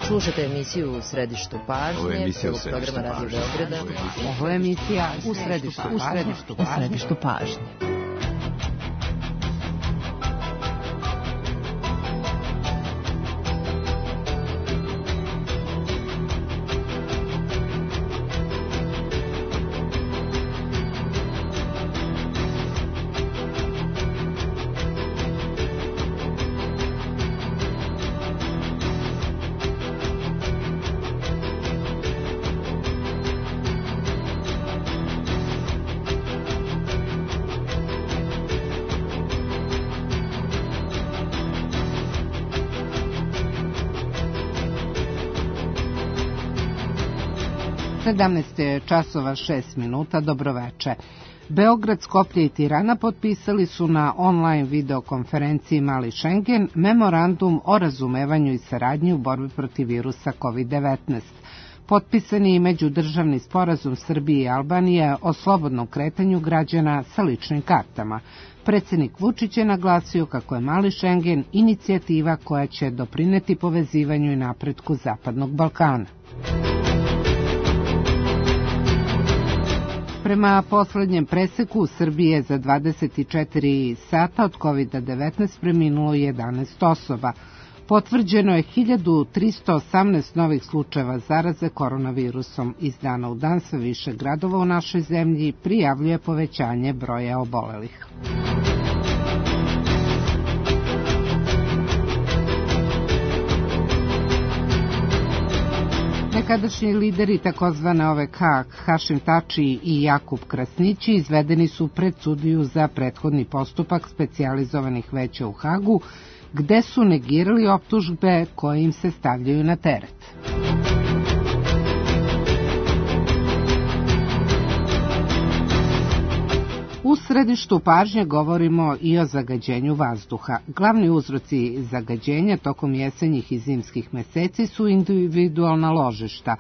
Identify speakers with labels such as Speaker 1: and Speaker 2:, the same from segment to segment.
Speaker 1: Slušate emisiju U središtu pažnje, prvog programa Radio Beograda.
Speaker 2: Ovo je emisija U središtu pažnje. Časova 6 minuta, dobroveče. Beograd, Skoplje i Tirana potpisali su na online videokonferenciji Mali Šengen memorandum o razumevanju i saradnji u borbi protiv virusa COVID-19. Potpisan je i međudržavni sporazum Srbije i Albanije o slobodnom kretanju građana sa ličnim kartama. Predsjednik Vučić je naglasio kako je Mali Šengen inicijativa koja će doprineti povezivanju i napretku Zapadnog Balkana. Prema poslednjem preseku, u Srbiji je za 24 sata od COVID-19 preminulo 11 osoba. Potvrđeno je 1318 novih slučajeva zaraze koronavirusom. Iz dana u dan sve više gradova u našoj zemlji prijavljuje povećanje broja obolelih. Nekadašnji lideri takozvane OVK Hašim Tači i Jakub Krasnići izvedeni su pred sudiju za prethodni postupak specijalizovanih veća u Hagu, gde su negirali optužbe koje im se stavljaju na teret. U središtu pažnje govorimo i o zagađenju vazduha. Glavni uzroci zagađenja tokom jesenjih i zimskih meseci su individualna ložišta,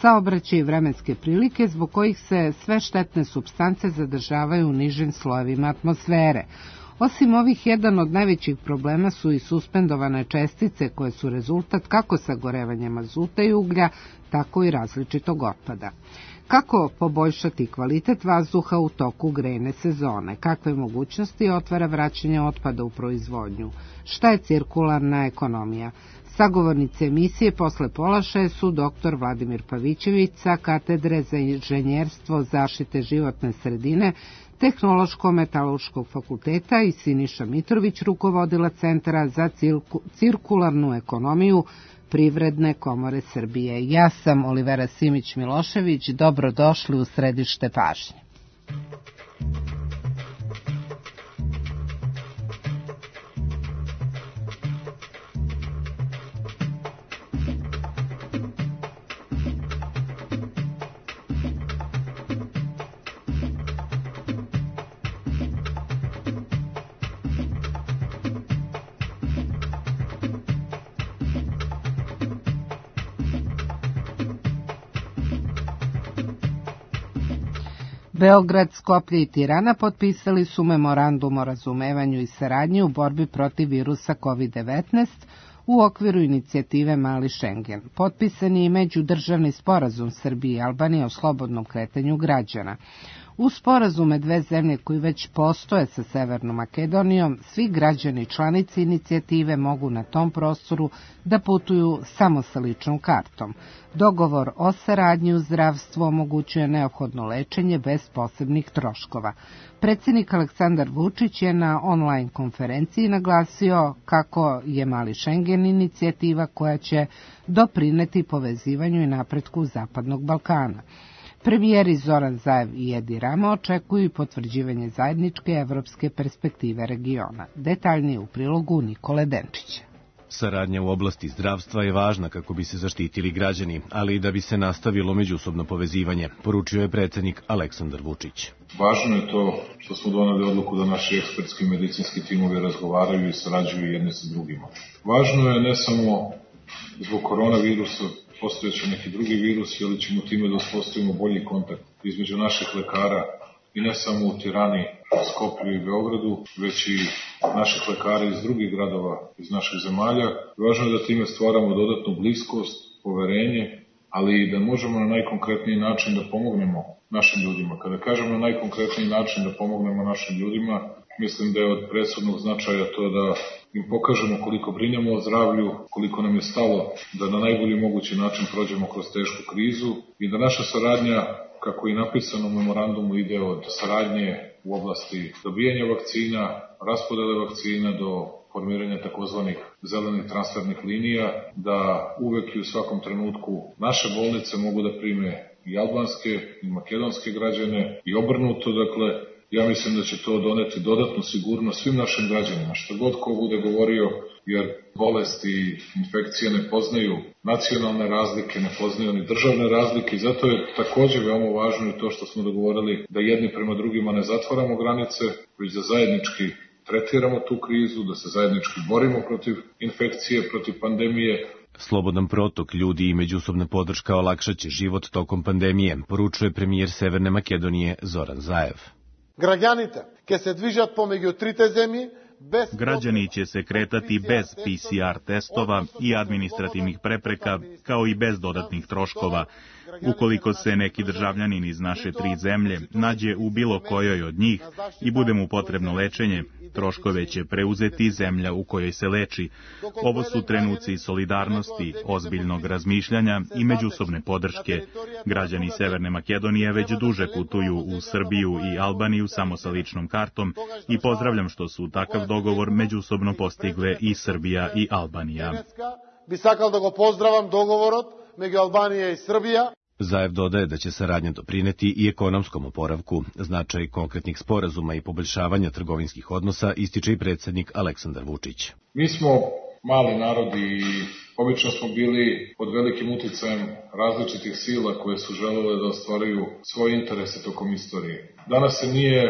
Speaker 2: saobraćaj i vremenske prilike zbog kojih se sve štetne supstance zadržavaju u nižim slojevima atmosfere. Osim ovih, jedan od najvećih problema su i suspendovane čestice koje su rezultat kako sagorevanja mazuta i uglja, tako i različitog otpada. Kako poboljšati kvalitet vazduha u toku grejne sezone? Kakve mogućnosti otvara vraćanje otpada u proizvodnju? Šta je cirkularna ekonomija? Sagovornice emisije posle pola 6 su dr. Vladimir Pavićević sa Katedre za inženjerstvo zaštite životne sredine Tehnološko-metaloškog fakulteta i Siniša Mitrović, rukovodila Centra za cirkularnu ekonomiju Privredne komore Srbije. Ja sam Olivera Simić-Milošević, dobrodošli u središte pažnje. Beograd, Skoplje i Tirana potpisali su memorandum o razumevanju i saradnji u borbi protiv virusa COVID-19 u okviru inicijative Mali Šengen. Potpisan je i međudržavni sporazum Srbije i Albanije o slobodnom kretanju građana. U sporazume dve zemlje koji već postoje sa Severnom Makedonijom, svi građani članici inicijative mogu na tom prostoru da putuju samo sa ličnom kartom. Dogovor o saradnji u zdravstvu omogućuje neophodno lečenje bez posebnih troškova. Predsjednik Aleksandar Vučić je na online konferenciji naglasio kako je Mali Šengen inicijativa koja će doprineti povezivanju i napretku Zapadnog Balkana. Premijeri Zoran Zaev i Edi Rama očekuju i potvrđivanje zajedničke evropske perspektive regiona. Detaljnije u prilogu Nikole Denčića.
Speaker 3: Saradnja u oblasti zdravstva je važna kako bi se zaštitili građani, ali i da bi se nastavilo međusobno povezivanje, poručio je predsjednik Aleksandar Vučić.
Speaker 4: Važno je to što smo doneli odluku da naši ekspertski i medicinski timovi razgovaraju i sarađuju jedni sa drugima. Važno je ne samo zbog koronavirusa, postojeće neki drugi virus, ali ćemo time da uspostavimo bolji kontakt između naših lekara i ne samo u Tirani, Skoplju i Beogradu, već i naših lekara iz drugih gradova, iz naših zemalja. Važno je da time stvaramo dodatnu bliskost, poverenje, ali i da možemo na najkonkretniji način da pomognemo našim ljudima. Kada kažem na najkonkretniji način da pomognemo našim ljudima, mislim da je od presudnog značaja to da im pokažemo koliko brinemo o zdravlju, koliko nam je stalo da na najbolji mogući način prođemo kroz tešku krizu i da naša saradnja, kako i napisano u memorandumu, ide od saradnje u oblasti dobijanja vakcina, raspodele vakcina do formiranja takozvanih zelenih transfernih linija, da uvek i u svakom trenutku naše bolnice mogu da prime i albanske i makedonske građane i obrnuto, dakle, ja mislim da će to doneti dodatnu sigurnost svim našim građanima, što god ko bude govorio, jer bolesti i infekcije ne poznaju nacionalne razlike, ne poznaju ni državne razlike i zato je takođe veoma važno i to što smo dogovorili da jedni prema drugima ne zatvaramo granice, već da zajednički tretiramo tu krizu, da se zajednički borimo protiv infekcije, protiv pandemije.
Speaker 3: Slobodan protok ljudi i međusobna podrška olakšaće život tokom pandemije, poručuje premijer Severne Makedonije Zoran Zaev.
Speaker 5: Građani će se kretati bez PCR testova i administrativnih prepreka, kao i bez dodatnih troškova. Ukoliko se neki državljanin iz naše 3 zemlje nađe u bilo kojoj od njih i bude mu potrebno lečenje, troškove će preuzeti zemlja u kojoj se leči. Ovo su trenuci solidarnosti, ozbiljnog razmišljanja i međusobne podrške. Građani Severne Makedonije već duže putuju u Srbiju i Albaniju samo sa ličnom kartom i pozdravljam što su takav dogovor međusobno postigle i Srbija i Albanija.
Speaker 6: Bi sakal da go pozdravim dogovorot među Albanija i Srbija.
Speaker 3: Zaev dodaje da će saradnja doprineti i ekonomskom oporavku. Značaj konkretnih sporazuma i poboljšavanja trgovinskih odnosa ističe i predsjednik Aleksandar Vučić.
Speaker 4: Mi smo mali narod i obično smo bili pod velikim uticajem različitih sila koje su želele da ostvaruju svoje interese tokom istorije. Danas se nije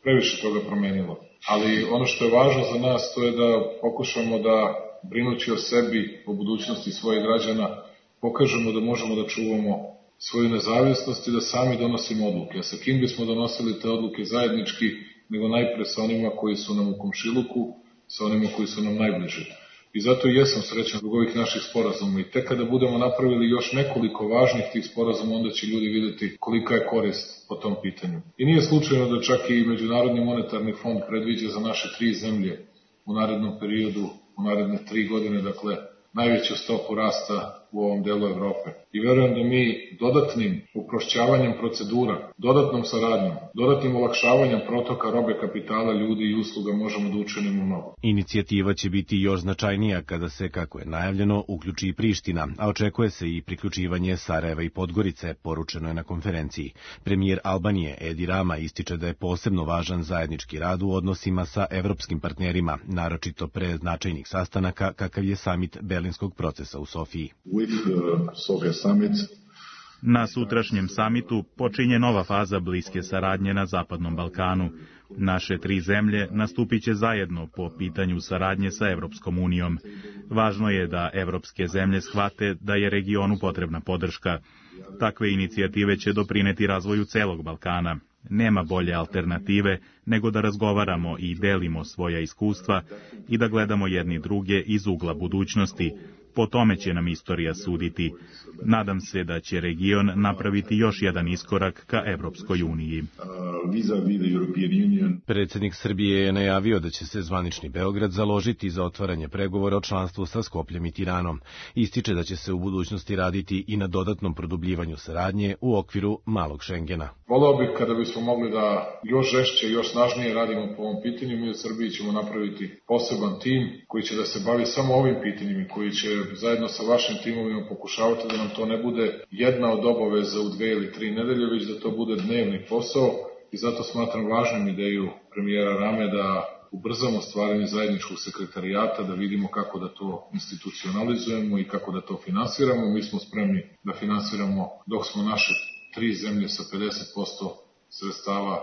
Speaker 4: previše toga promenilo, ali ono što je važno za nas to je da pokušamo da, brinući o sebi, o budućnosti svojih građana, pokažemo da možemo da čuvamo svoju nezavisnost i da sami donosimo odluke. A sa kim bismo donosili te odluke zajednički, nego najpre sa onima koji su nam u komšiluku, sa onima koji su nam najbliži. I zato i jesam srećan zbog ovih naših sporazuma. I tek kada budemo napravili još nekoliko važnih tih sporazuma, onda će ljudi vidjeti kolika je korist po tom pitanju. I nije slučajno da čak i Međunarodni monetarni fond predviđa za naše 3 zemlje u narednom periodu, u naredne 3 godine, dakle, najveću stopu rasta u ovom delu Evrope. I verujem da mi dodatnim uprošćavanjem procedura, dodatnom saradnjom, dodatnim olakšavanjem protoka robe, kapitala, ljudi i usluga možemo da učinimo mnogo.
Speaker 3: Inicijativa će biti još značajnija kada se, kako je najavljeno, uključi i Priština, a očekuje se i priključivanje Sarajeva i Podgorice, poručeno je na konferenciji. Premijer Albanije Edi Rama ističe da je posebno važan zajednički rad u odnosima sa evropskim partnerima, naročito pre značajnih sastanaka kakav je samit Berlinskog procesa u Sofiji.
Speaker 5: Na sutrašnjem samitu počinje nova faza bliske saradnje na Zapadnom Balkanu. Naše 3 zemlje nastupit će zajedno po pitanju saradnje sa Evropskom unijom. Važno je da evropske zemlje shvate da je regionu potrebna podrška. Takve inicijative će doprineti razvoju celog Balkana. Nema bolje alternative nego da razgovaramo i delimo svoja iskustva i da gledamo jedni druge iz ugla budućnosti. Po tome će nam istorija suditi. Nadam se da će region napraviti još jedan iskorak ka Evropskoj uniji.
Speaker 3: Predsjednik Srbije je najavio da će se zvanični Beograd založiti za otvaranje pregovora o članstvu sa Skopljem i Tiranom. Ističe da će se u budućnosti raditi i na dodatnom produbljivanju saradnje u okviru malog Šengena.
Speaker 4: Voleo bih kada bismo mogli da još žešće i još snažnije radimo po ovom pitanju. Mi u Srbiji ćemo napraviti poseban tim koji će da se bavi samo ovim pitanjima, koji će zajedno sa vašim timovima pokušavati da nam to ne bude jedna od obaveza u 2 ili 3 nedelje, već da to bude dnevni posao i zato smatram važnom ideju premijera Rame da ubrzamo stvaranje zajedničkog sekretarijata, da vidimo kako da to institucionalizujemo i kako da to finansiramo. Mi smo spremni da finansiramo dok smo naše 3 zemlje sa 50% sredstava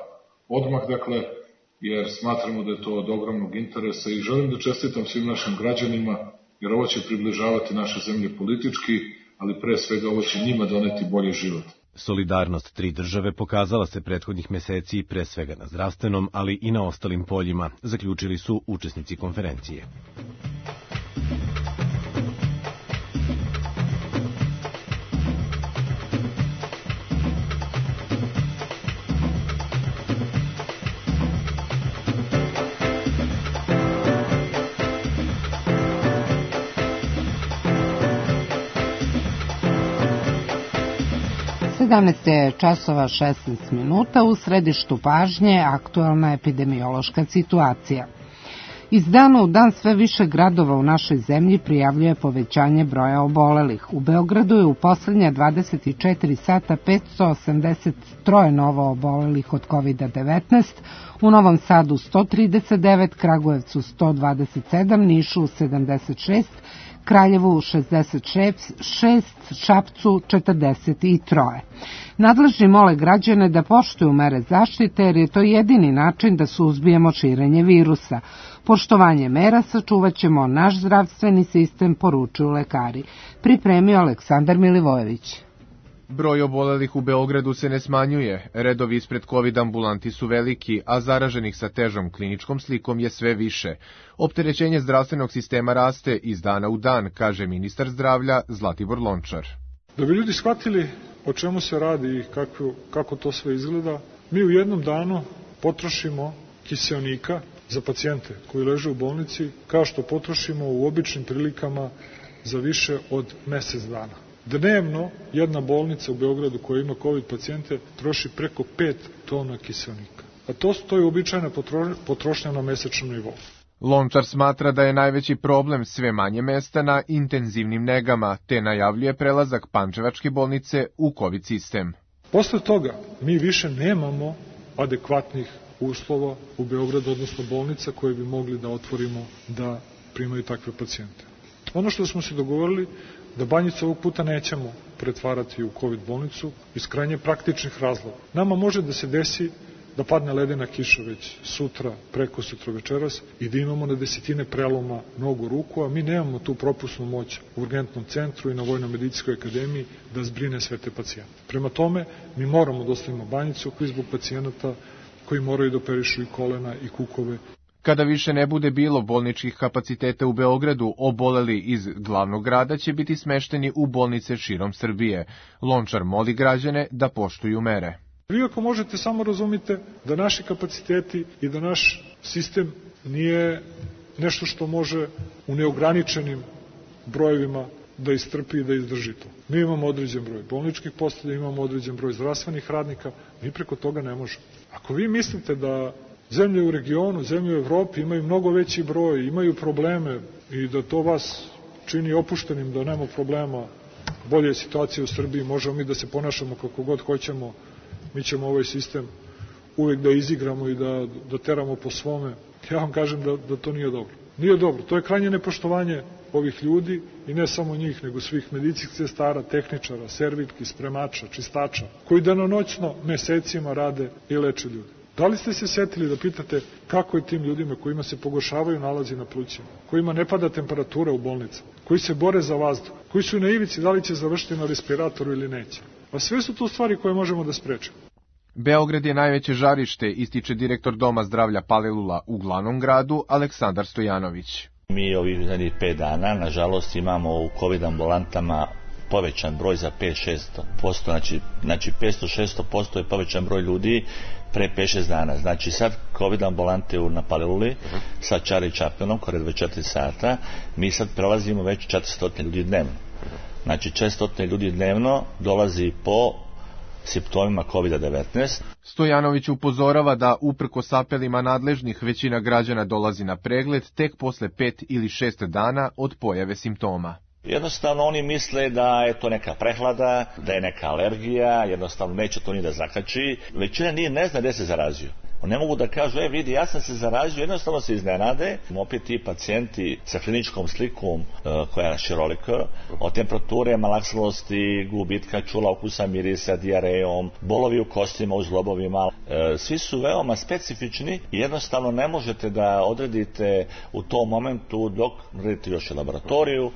Speaker 4: odmah, dakle, jer smatramo da je to od ogromnog interesa i želim da čestitam svim našim građanima, jer ovo će približavati naše zemlje politički, ali pre svega ovo će njima doneti bolji život.
Speaker 3: Solidarnost tri države pokazala se prethodnih meseci pre svega na zdravstvenom, ali i na ostalim poljima, zaključili su učesnici konferencije.
Speaker 2: Je časova 16 minuta, u središtu pažnje aktualna epidemiološka situacija. Iz dana u dan sve više gradova u našoj zemlji prijavljuje povećanje broja obolelih. U Beogradu je u poslednja 24 sata 583 novo obolelih od COVID-19, u Novom Sadu 139, Kragujevcu 127, Nišu 76, Kraljevu 66, Šapcu 43. Nadležni mole građane da poštuju mere zaštite jer je to jedini način da suzbijemo širenje virusa. Poštovanje mera sačuvat ćemo naš zdravstveni sistem, poručuju lekari. Pripremio Aleksandar Milivojević.
Speaker 7: Broj obolelih u Beogradu se ne smanjuje, redovi ispred COVID ambulanti su veliki, a zaraženih sa težom kliničkom slikom je sve više. Opterećenje zdravstvenog sistema raste iz dana u dan, kaže ministar zdravlja Zlatibor Lončar.
Speaker 8: Da bi ljudi shvatili o čemu se radi i kako to sve izgleda, mi u jednom danu potrošimo kiseonika za pacijente koji leže u bolnici, kao što potrošimo u običnim prilikama za više od mesec dana. Dnevno jedna bolnica u Beogradu koja ima COVID pacijente troši preko 5 tona kiseonika. A to je uobičajena potrošnja na mesečnom nivou.
Speaker 7: Lončar smatra da je najveći problem sve manje mesta na intenzivnim negama, te najavljuje prelazak pančevačke bolnice u COVID sistem.
Speaker 8: Posle toga mi više nemamo adekvatnih uslova u Beogradu, odnosno bolnica koje bi mogli da otvorimo da primaju takve pacijente. Ono što smo se dogovorili, da Banjicu ovog puta nećemo pretvarati u COVID bolnicu iz krajnje praktičnih razloga. Nama može da se desi da padne ledena kiša već sutra, preko sutra večeras i da imamo na desetine preloma nogu ruku, a mi nemamo tu propusnu moć u urgentnom centru i na Vojno-medicinskoj akademiji da zbrine sve te pacijente. Prema tome, mi moramo da ostavimo Banjicu zbog pacijenata koji moraju da operišu i kolena i kukove.
Speaker 7: Kada više ne bude bilo bolničkih kapaciteta u Beogradu, oboleli iz glavnog grada će biti smešteni u bolnice širom Srbije. Lončar moli građane da poštuju mere.
Speaker 8: Vi ako možete samo razumite da naši kapaciteti i da naš sistem nije nešto što može u neograničenim brojevima da istrpi i da izdrži to. Mi imamo određen broj bolničkih postelja, imamo određen broj zdravstvenih radnika, mi preko toga ne možemo. Ako vi mislite da zemlje u regionu, zemlje u Evropi imaju mnogo veći broj, imaju probleme i da to vas čini opuštenim, da nema problema, bolje je situacija u Srbiji, možemo mi da se ponašamo kako god hoćemo, mi ćemo ovaj sistem uvek da izigramo i da teramo po svome. Ja vam kažem da to nije dobro. Nije dobro, to je krajnje nepoštovanje ovih ljudi i ne samo njih, nego svih medicinskih sestara, tehničara, servirki, spremača, čistača, koji danonoćno mesecima rade i leče ljude. Da li ste se setili da pitate kako je tim ljudima kojima se pogoršavaju nalazi na plućima, kojima ne pada temperatura u bolnicama, koji se bore za vazduh, koji su na ivici da li će završiti na respiratoru ili neće? A sve su to stvari koje možemo da sprečimo.
Speaker 7: Beograd je najveće žarište, ističe direktor Doma zdravlja Palilula u glavnom gradu Aleksandar Stojanović.
Speaker 9: Mi ovih 5 dana, nažalost, imamo u COVID ambulantama povećan broj za 5-6%, znači 500-600% je povećan broj ljudi pre 5-6 dana. Znači sad COVID ambulante na Paliluli sa Charlie Chapmanom, kore 24 sata, mi sad prelazimo već 400 ljudi dnevno. Znači 400 ljudi dnevno dolazi po simptomima COVID-19.
Speaker 7: Stojanović upozorava da uprkos apelima nadležnih većina građana dolazi na pregled tek posle 5 ili 6 dana od pojave simptoma.
Speaker 9: Jednostavno oni misle da je to neka prehlada, da je neka alergija, jednostavno neće to ni da zakači. Većina ne zna gde se zarazio. Ne mogu da kažu, vidi, ja sam se zarazio, jednostavno se iznenade. Opet ti pacijenti sa kliničkom slikom koja je širolika, od temperature, malaksalosti, gubitka čula, okusa, mirisa, dijarejom, bolovi u kostima, u zglobovima, svi su veoma specifični i jednostavno ne možete da odredite u tom momentu dok radite još i laboratoriju,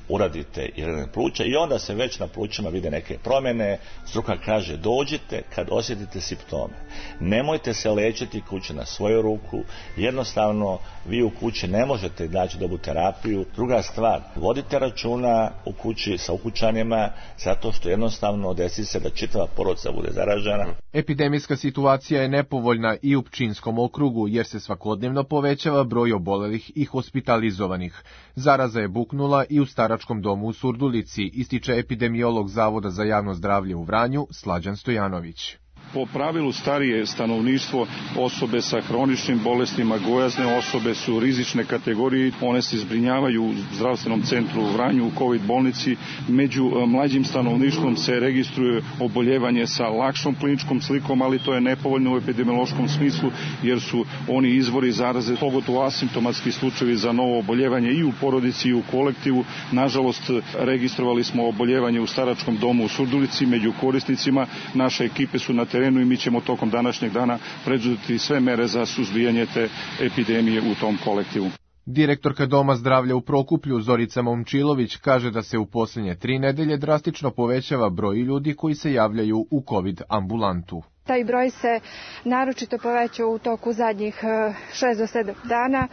Speaker 9: uradite i rentgen pluća i onda se već na plućima vide neke promjene. Struka kaže dođite kad osjetite simptome. Nemojte se lečiti kući na svoju ruku, jednostavno vi u kući ne možete naći dobru terapiju. Druga stvar, vodite računa u kući sa ukućanima zato što jednostavno desi se da čitava porodica bude zaražena.
Speaker 7: Epidemijska situacija je nepovoljna i u Pčinjskom okrugu jer se svakodnevno povećava broj obolelih i hospitalizovanih. Zaraza je buknula i u staračkom domu u Surdulici, ističe epidemiolog Zavoda za javno zdravlje u Vranju Slađan Stojanović.
Speaker 10: Po pravilu starije stanovništvo, osobe sa hroničnim bolestima, gojazne osobe su rizične kategorije, one se zbrinjavaju u zdravstvenom centru u Vranju, u COVID bolnici. Među mlađim stanovništvom se registruje oboljevanje sa lakšom kliničkom slikom, ali to je nepovoljno u epidemiološkom smislu jer su oni izvori zaraze, pogotovo asimptomatski slučajevi za novo oboljevanje i u porodici i u kolektivu. Nažalost, registrovali smo oboljevanje u staračkom domu u Surdulici među korisnicima. Naše ekipe su na terenu i mi ćemo tokom današnjeg dana preduzeti sve mere za suzbijanje te epidemije u tom kolektivu.
Speaker 7: Direktorka Doma zdravlja u Prokuplju Zorica Momčilović kaže da se u posljednje 3 nedelje drastično povećava broj ljudi koji se javljaju u COVID ambulantu.
Speaker 11: Taj broj se naročito povećao u toku zadnjih 6 do 7 dana.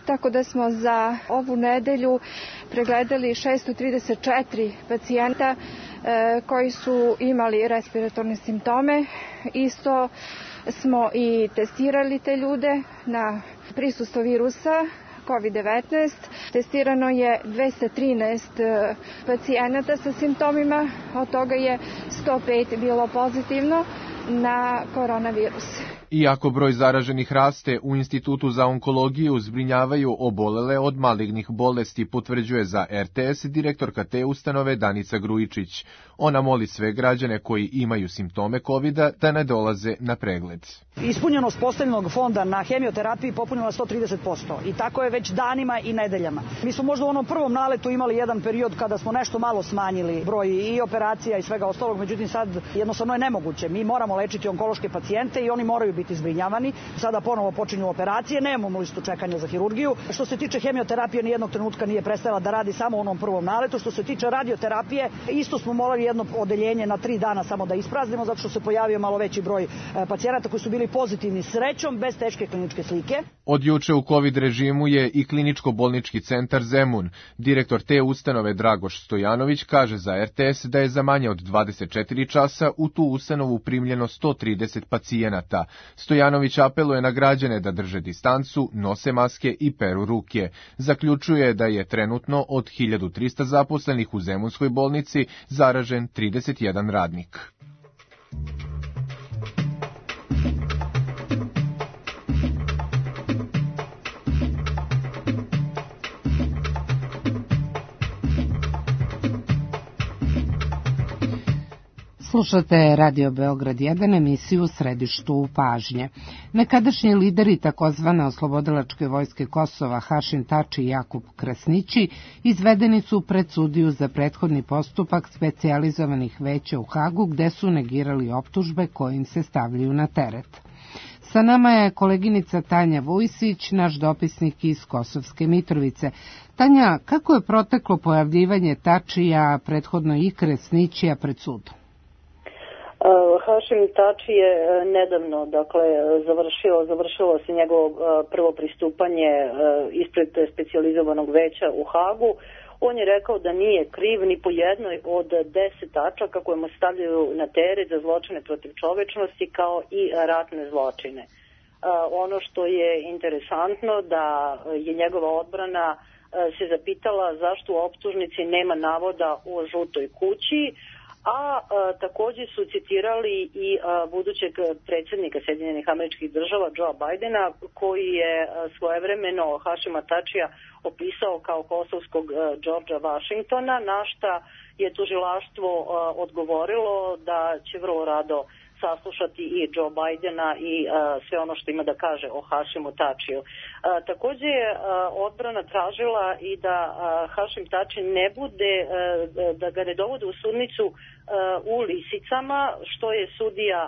Speaker 11: Tako da smo za ovu nedelju pregledali 634 pacijenta koji su imali respiratorne simptome. Isto smo i testirali te ljude na prisustvo virusa COVID-19. Testirano je 213 pacijenata sa simptomima, od toga je 105 bilo pozitivno na koronavirus.
Speaker 7: Iako broj zaraženih raste, u Institutu za onkologiju zbrinjavaju obolele od malignih bolesti, potvrđuje za RTS direktorka te ustanove Danica Grujičić. Ona moli sve građane koji imaju simptome COVID-a da ne dolaze na pregled.
Speaker 12: Ispunjenost postavljenog fonda na hemioterapiji popunila 130% i tako je već danima i nedeljama. Mi smo možda u onom prvom naletu imali jedan period kada smo nešto malo smanjili broj i operacija i svega ostalog, međutim sad jednostavno je nemoguće. Mi moramo lečiti onkološke pacijente i oni moraju biti zbrinjavani. Sada ponovo počinju operacije, nemamo listu čekanja za hirurgiju. Što se tiče hemioterapije, ni jednog trenutka nije prestala da radi samo u onom prvom naletu. Što se tiče radioterapije, isto smo morali jedno odeljenje na 3 dana samo da ispraznimo, zato što se pojavio malo veći broj pacijenata koji su bili pozitivni srećom, bez teške kliničke slike.
Speaker 7: Od juče u COVID režimu je i kliničko-bolnički centar Zemun. Direktor te ustanove Dragoš Stojanović kaže za RTS da je za manje od 24 časa u tu ustanovu primljeno 130 pacijenata. Stojanović apeluje na građane da drže distancu, nose maske i peru ruke. Zaključuje da je trenutno od 1300 zaposlenih u Zemunskoj bolnici zaražen 31 radnik.
Speaker 2: Slušate Radio Beograd 1, emisiju u središtu pažnje. Nekadašnji lideri takozvane oslobodilačke vojske Kosova Hašim Tači i Jakub Krasnići izvedeni su pred sudiju za prethodni postupak specijalizovanih veća u Hagu, gde su negirali optužbe koje im se stavljaju na teret. Sa nama je koleginica Tanja Vujsić, naš dopisnik iz Kosovske Mitrovice. Tanja, kako je proteklo pojavljivanje Tačija, prethodno i Krasnićija pred sudom?
Speaker 13: Hašim Tači je nedavno, završilo se njegovo prvo pristupanje ispred specijalizovanog veća u Hagu. On je rekao da nije kriv ni po jednoj od 10 tačaka koje mu stavljaju na teret za zločine protiv čovečnosti kao i ratne zločine. Ono što je interesantno da je njegova odbrana se zapitala zašto u optužnici nema navoda o žutoj kući, a također su citirali i budućeg predsjednika Sjedinjenih Američkih Država Joea Bidena, koji je svojevremeno Hašima Tačija opisao kao kosovskog Georgea Washingtona, na šta je tužilaštvo odgovorilo da će vrlo rado saslušati i Joe Bidena i sve ono što ima da kaže o Hašimu Tačiju. Također je odbrana tražila i da Hašim Tači ne bude, da ga ne dovode u sudnicu u lisicama, što je sudija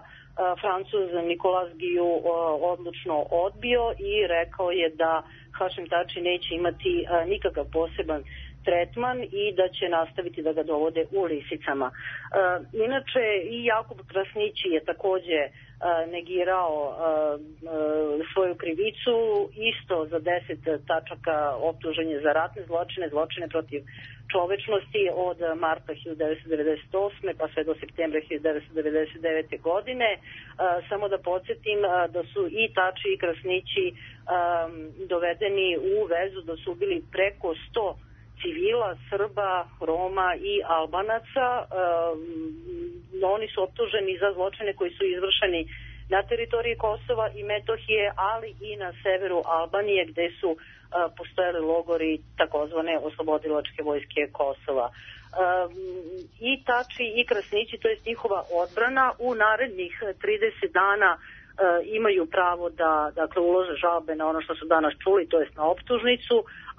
Speaker 13: Francuz Nicolas Guillou odlučno odbio i rekao je da Hašim Tači neće imati nikakav poseban tretman i da će nastaviti da ga dovode u lisicama. Inače, i Jakub Krasnići je takođe negirao svoju krivicu, isto za 10 tačaka optuženje za ratne zločine, zločine protiv čovečnosti od marta 1998. pa sve do septembra 1999. godine. Samo da podsjetim da su i Tači i Krasnići dovedeni u vezu da su ubili preko 100 civila, Srba, Roma i Albanaca. Oni su optuženi za zločine koji su izvršeni na teritoriji Kosova i Metohije, ali i na severu Albanije gde su postojali logori takozvane oslobodilačke vojske Kosova. I Tači i Krasnići, to je njihova odbrana, u narednih 30 dana imaju pravo da ulože žalbe na ono što su danas čuli, to jest na optužnicu,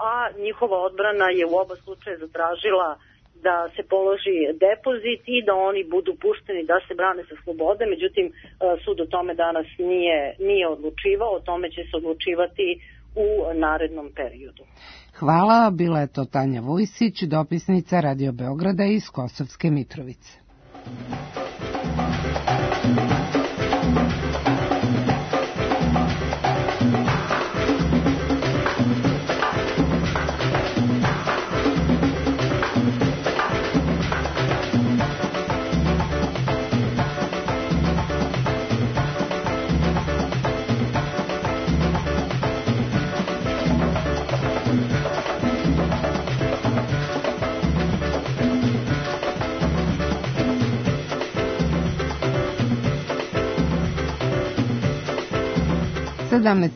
Speaker 13: a njihova odbrana je u oba slučaja zatražila da se položi depozit i da oni budu pušteni da se brane sa slobode. Međutim, sud o tome danas nije odlučivao, o tome će se odlučivati u narednom periodu.
Speaker 2: Hvala, bila je to Tanja Vujsić, dopisnica Radio Beograda iz Kosovske Mitrovice.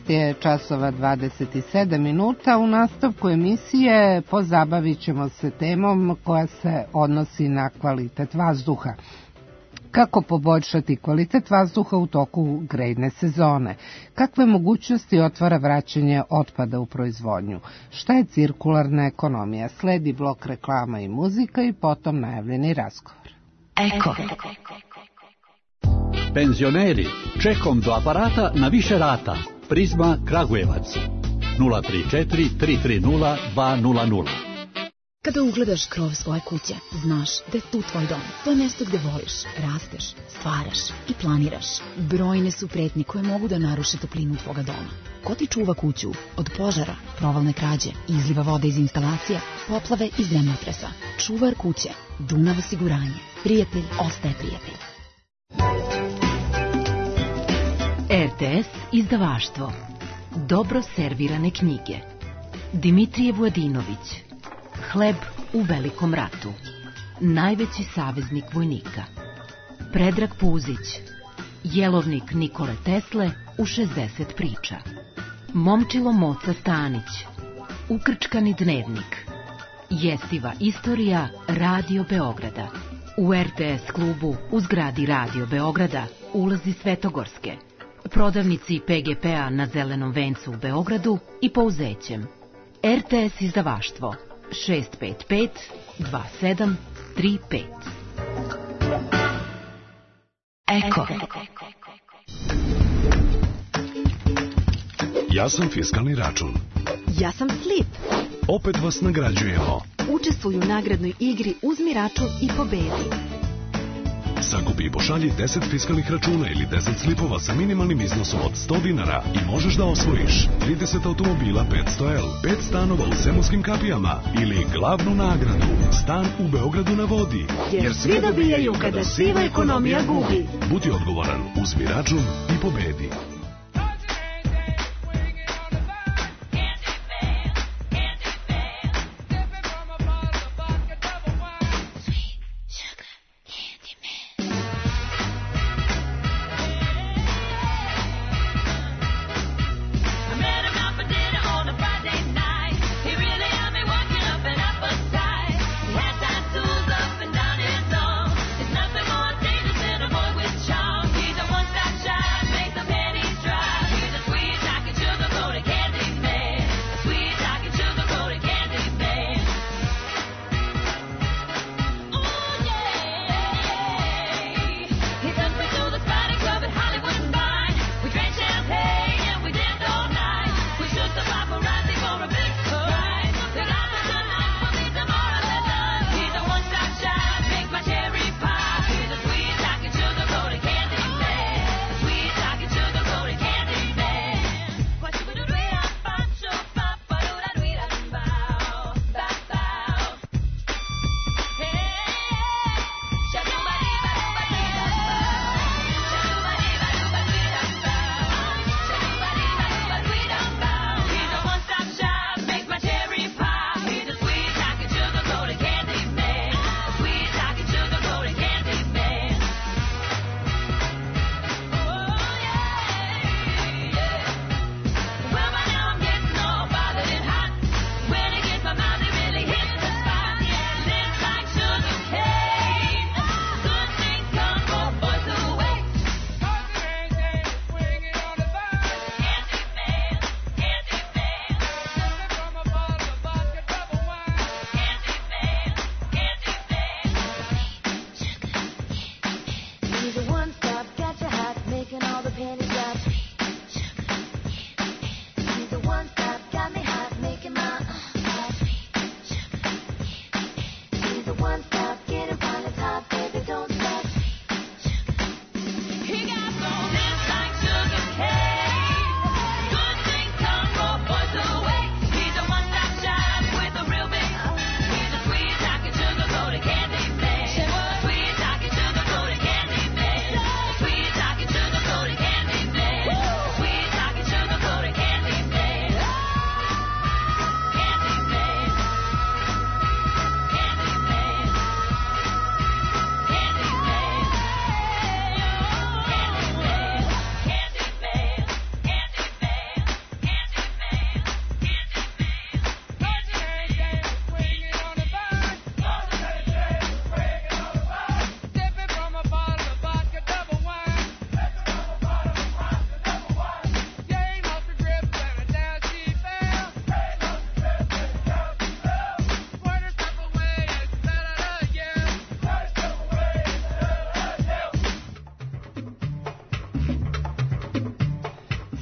Speaker 2: Je časova 27 minuta. U nastavku emisije pozabavit ćemo se temom koja se odnosi na kvalitet vazduha. Kako poboljšati kvalitet vazduha u toku grejne sezone? Kakve mogućnosti otvara vraćanje otpada u proizvodnju? Šta je cirkularna ekonomija? Sledi blok reklama i muzika i potom najavljeni razgovor.
Speaker 14: Eko. Penzioneri, čekom do aparata na više rata. Prizma Kragujevac 034 330 200.
Speaker 15: Kada ugledaš krov svoje kuće, znaš da je tu tvoj dom. To je mjesto gde voliš, rasteš, stvaraš i planiraš. Brojne su pretnje koje mogu da naruše toplinu tvoga doma. Ko ti čuva kuću od požara, provalne krađe, izliva vode iz instalacija, poplave i zemljotresa? Čuvar kuće, Dunav osiguranje. Prijatelj ostaje prijatelj.
Speaker 16: RTS izdavaštvo. Dobro servirane knjige. Dimitrije Vujadinović. Hleb u velikom ratu. Najveći saveznik vojnika. Predrag Puzić. Jelovnik Nikole Tesle u 60 priča. Momčilo Moca Stanić. Ukrčkani dnevnik. Jestiva istorija Radio Beograda. U RTS klubu u zgradi Radio Beograda, ulazi Svetogorske. Prodavnici PGP-a na Zelenom vencu u Beogradu i Pouzećem. RTS izdavaštvo 655 2735.
Speaker 14: Eko.
Speaker 17: Ja sam fiskalni račun.
Speaker 18: Ja sam Slip.
Speaker 17: Opet vas nagrađujemo.
Speaker 18: Učestvuj u nagradnoj igri Uzmi račun i pobedi.
Speaker 17: Sakupi i pošalji 10 fiskalnih računa ili 10 slipova sa minimalnim iznosom od 100 dinara i možeš da osvojiš 30 automobila 500L, 5 stanova u Zemunskim kapijama ili glavnu nagradu, stan u Beogradu na vodi.
Speaker 18: Jer svi dobijaju kada siva ekonomija gubi.
Speaker 17: Budi odgovoran, uzmi račun i pobedi.
Speaker 19: He's a one-stop shop, make the pennies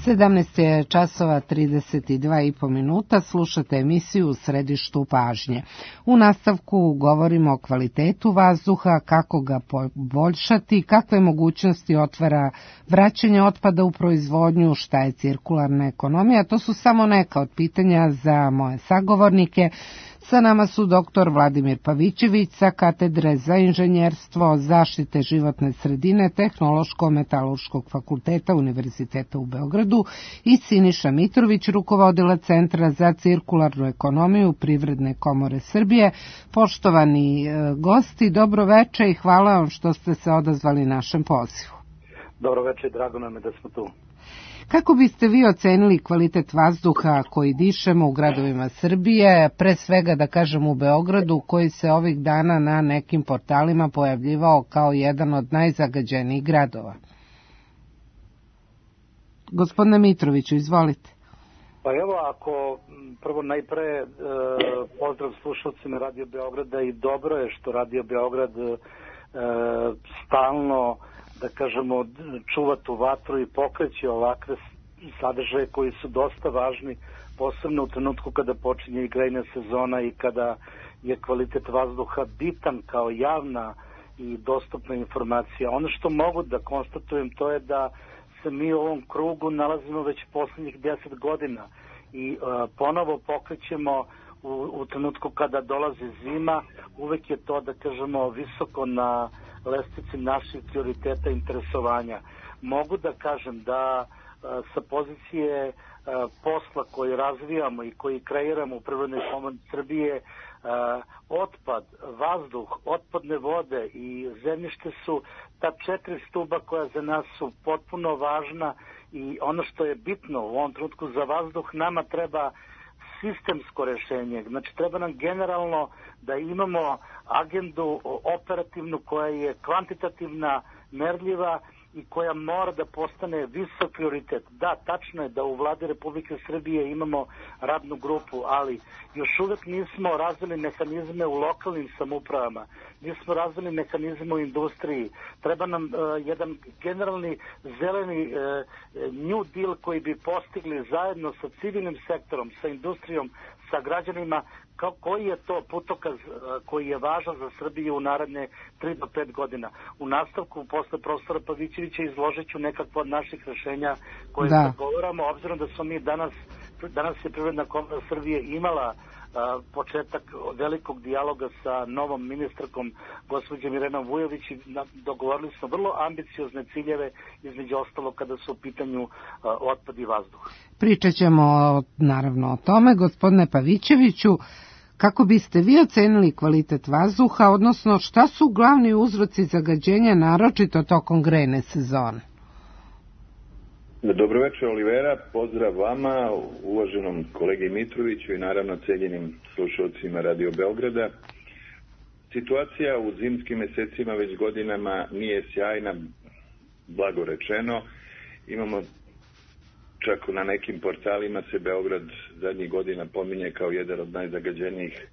Speaker 2: 17 je časova 32,5 minuta, slušate emisiju U središtu pažnje. U nastavku govorimo o kvalitetu vazduha, kako ga poboljšati, kakve mogućnosti otvara vraćanje otpada u proizvodnju, šta je cirkularna ekonomija. To su samo neka od pitanja za moje sagovornike. Sa nama su dr. Vladimir Pavićević sa Katedre za inženjerstvo, zaštite životne sredine, Tehnološko-metalurškog fakulteta Univerziteta u Beogradu i Siniša Mitrović, rukovodilac Centra za cirkularnu ekonomiju Privredne komore Srbije. Poštovani gosti, dobro veče i hvala vam što ste se odazvali našem pozivu.
Speaker 19: Dobro veče, drago nam je da smo tu.
Speaker 2: Kako biste vi ocenili kvalitet vazduha koji dišemo u gradovima Srbije, pre svega da kažem u Beogradu, koji se ovih dana na nekim portalima pojavljivao kao jedan od najzagađenijih gradova? Gospodine Mitroviću, izvolite.
Speaker 19: Pa evo, ako prvo najpre pozdrav slušalcima Radio Beograda i dobro je što Radio Beograd stalno, da kažemo, čuva tu vatru i pokreće ovakve sadržaje koji su dosta važni, posebno u trenutku kada počinje i grejna sezona i kada je kvalitet vazduha bitan kao javna i dostupna informacija. Ono što mogu da konstatujem to je da se mi u ovom krugu nalazimo već poslednjih 10 godina i ponovo pokrećemo u trenutku kada dolazi zima, uvek je to, da kažemo, visoko na lestvici naših prioriteta interesovanja. Mogu da kažem da sa pozicije posla koji razvijamo i koji kreiramo u Privrednoj komori Srbije, otpad, vazduh, otpadne vode i zemljište su ta 4 stuba koja za nas su potpuno važna i ono što je bitno u ovom trenutku za vazduh, nama treba sistemsko rešenje. Znači, treba nam generalno da imamo agendu operativnu koja je kvantitativna, merljiva i koja mora da postane visok prioritet. Da, tačno je da u vladi Republike Srbije imamo radnu grupu, ali još uvek nismo razvili mehanizme u lokalnim samoupravama, nismo razvili mehanizme u industriji. Treba nam jedan generalni zeleni new deal koji bi postigli zajedno sa civilnim sektorom, sa industrijom, sa građanima, koji je to putokaz koji je važan za Srbiju u naredne 3 do 5 godina. U nastavku, posle profesora Pavićevića, izložit ću nekakva od naših rešenja koje zagovaramo, obzirom da smo mi danas je Privredna komora Srbije imala početak velikog dijaloga sa novom ministarkom gospođom Irenom Vujović i dogovorili smo vrlo ambiciozne ciljeve, između ostalo kada su u pitanju otpad i vazduh.
Speaker 2: Pričat ćemo naravno o tome. Gospodine Pavićeviću, kako biste vi ocenili kvalitet vazduha, odnosno šta su glavni uzroci zagađenja, naročito tokom grejne sezone?
Speaker 20: Dobro večer, Olivera, pozdrav vama, uvaženom kolegi Mitroviću i naravno cenjenim slušalcima Radio Beograda. Situacija u zimskim mesecima već godinama nije sjajna, blago rečeno. Imamo, čak na nekim portalima se Beograd zadnjih godina pominje kao jedan od najzagađenijih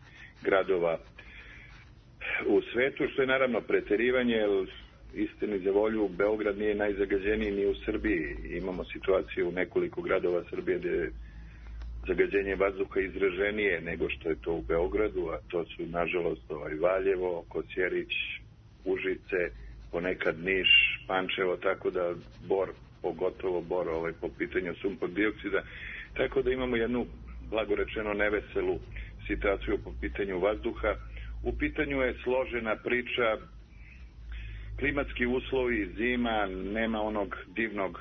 Speaker 20: gradova u svetu, što je naravno preterivanje, jer istini za volju, Beograd nije najzagađeniji ni u Srbiji. Imamo situaciju u nekoliko gradova Srbije gde je zagađenje vazduha izraženije nego što je to u Beogradu, a to su, nažalost, Valjevo, Kosjerić, Užice, ponekad Niš, Pančevo, tako da Bor, pogotovo Bor po pitanju sumpor dioksida. Tako da imamo jednu, blago rečeno, neveselu situaciju po pitanju vazduha. U pitanju je složena priča, klimatski uslovi, zima, nema onog divnog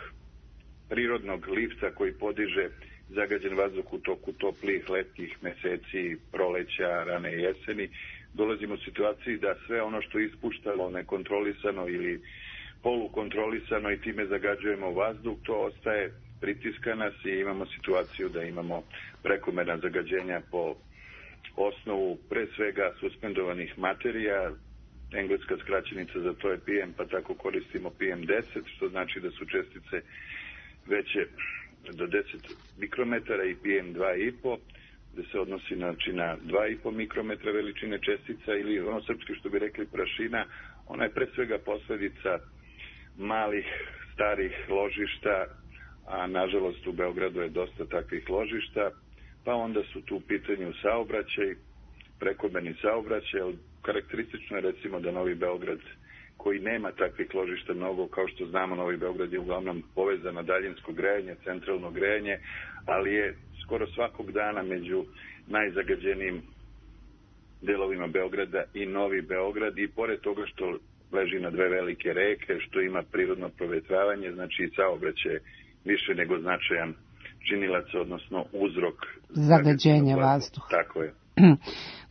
Speaker 20: prirodnog lifta koji podiže zagađen vazduh u toku toplih letnjih meseci, proleća, rane jeseni. Dolazimo u situaciji da sve ono što je ispuštalo nekontrolisano ili polukontrolisano i time zagađujemo vazduh, to ostaje, pritiska nas i imamo situaciju da imamo prekomerna zagađenja po osnovu pre svega suspendovanih materija. Engleska skraćenica za to je PM, pa tako koristimo PM10, što znači da su čestice veće do 10 mikrometara i PM2,5, gde se odnosi na 2,5 mikrometra veličine čestica ili ono srpski što bi rekli prašina. Ona je pre svega posledica malih, starih ložišta, a nažalost u Beogradu je dosta takvih ložišta, pa onda su tu u pitanju saobraćaj, prekomerni saobraćaj. Karakteristično je recimo da Novi Beograd, koji nema takvih ložišta mnogo, kao što znamo, Novi Beograd je uglavnom povezan na daljinsko grejanje, centralno grejanje, ali je skoro svakog dana među najzagađenijim delovima Beograda i Novi Beograd, i pored toga što leži na dve velike reke, što ima prirodno provetravanje, znači i saobraćaj više nego značajan činilac, odnosno uzrok
Speaker 2: zagađenja vazduha.
Speaker 20: Tako je.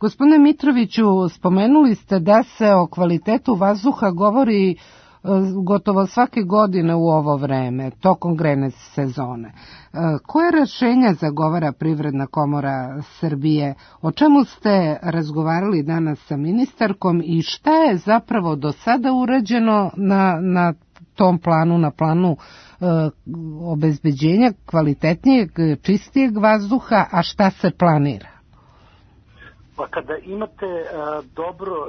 Speaker 2: Gospodine Mitroviću, spomenuli ste da se o kvalitetu vazduha govori gotovo svake godine u ovo vreme, tokom grejne sezone. Koje rešenja zagovara Privredna komora Srbije? O čemu ste razgovarali danas sa ministarkom i šta je zapravo do sada urađeno na tom planu, na planu obezbeđenja kvalitetnijeg, čistijeg vazduha, a šta se planira?
Speaker 19: Pa kada imate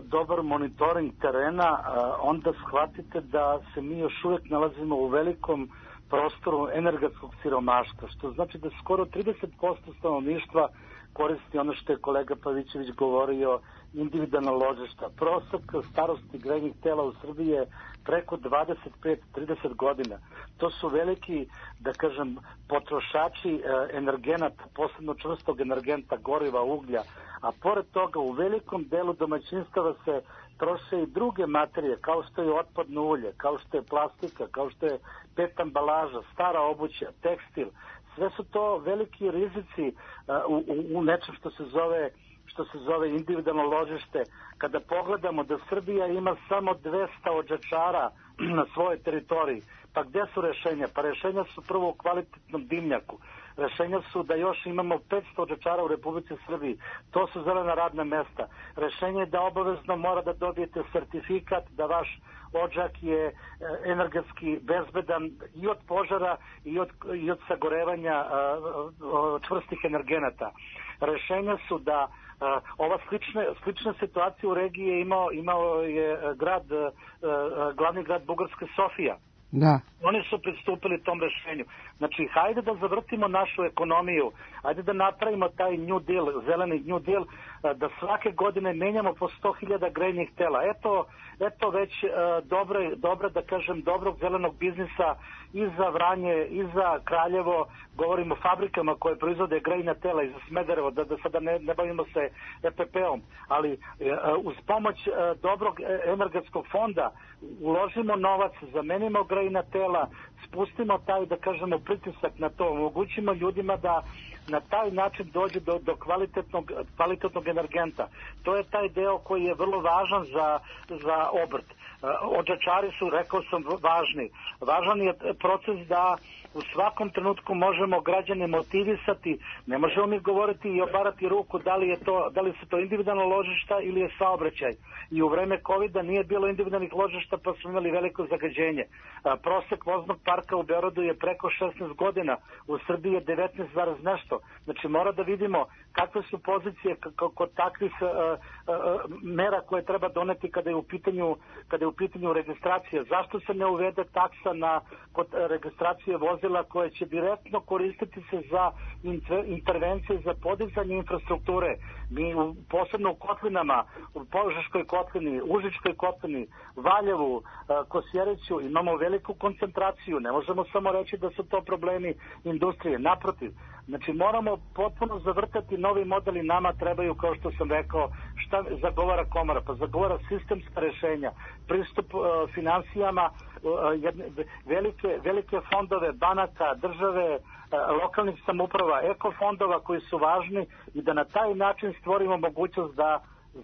Speaker 19: dobar monitoring terena, onda shvatite da se mi još uvijek nalazimo u velikom prostoru energetskog siromaštva, što znači da skoro 30% stanovništva koristi ono što je kolega Pavićević govorio, individualna ložišta. Prosek starosti grejnih tela u Srbiji je preko 25-30 godina. To su veliki, da kažem, potrošači energenata, posebno čvrstog energenta, goriva, uglja, a pored toga u velikom delu domaćinstava se troše i druge materije, kao što je otpadno ulje, kao što je plastika, kao što je PET ambalaža, stara obuća, tekstil. Sve su to veliki rizici u nečem što se zove individualno ložište. Kada pogledamo da Srbija ima samo 200 odžačara na svojoj teritoriji, pa gde su rešenja? Pa rešenja su prvo u kvalitetnom dimnjaku. Rešenja su da još imamo 500 odžačara u Republici Srbiji. To su zelena radna mesta. Rešenje je da obavezno mora da dobijete sertifikat da vaš odžak je energetski bezbedan i od požara i od sagorevanja čvrstih energenata. Rešenja su da ova slična situacija u regiji je imao je glavni grad Bugarske, Sofija.
Speaker 2: Da.
Speaker 19: Oni su pristupili tom rešenju. Znači, hajde da zavrtimo našu ekonomiju, hajde da napravimo taj New Deal, zeleni New Deal, da svake godine menjamo po 100.000 grejnih tela. Eto već dobra, da kažem, dobrog zelenog biznisa i za Vranje, i za Kraljevo, govorimo o fabrikama koje proizvode grejna tela, i za Smederevo, da sada ne bavimo se EPP-om, ali uz pomoć dobrog energetskog fonda uložimo novac, zamenimo grejna tela, spustimo taj, da kažemo, pritisak na to, omogućimo ljudima da na taj način dođe do kvalitetnog energenta. To je taj deo koji je vrlo važan za obrt. Odžačari su, rekao sam, važni. Važan je proces da u svakom trenutku možemo građane motivisati. Ne možemo mi govoriti i obarati ruku da li su to individualna ložišta ili je saobraćaj. I u vreme COVID-a nije bilo individualnih ložišta, pa smo imali veliko zagađenje. Prosek voznog parka u Beogradu je preko 16 godina, u Srbiji je 19, nešto. Znači mora da vidimo kakve su pozicije kod takvih mera koje treba doneti kada je u pitanju registracija. Zašto se ne uvede taksa kod registracije vozila koje će direktno koristiti se za intervencije za podizanje infrastrukture? Mi posebno u kotlinama, u Požeškoj kotlini, Užičkoj kotlini, Valjevu, Kosjeriću imamo veliku koncentraciju. Ne možemo samo reći da su to problemi industrije. Naprotiv, znači moramo potpuno zavrtati novi modeli. Nama trebaju, kao što sam rekao, šta zagovara komora? Pa zagovara sistemska rešenja, pristup finansijama, velike fondove banaka, države, lokalnih samouprava, ekofondova koji su važni, i da na taj način stvorimo mogućnost da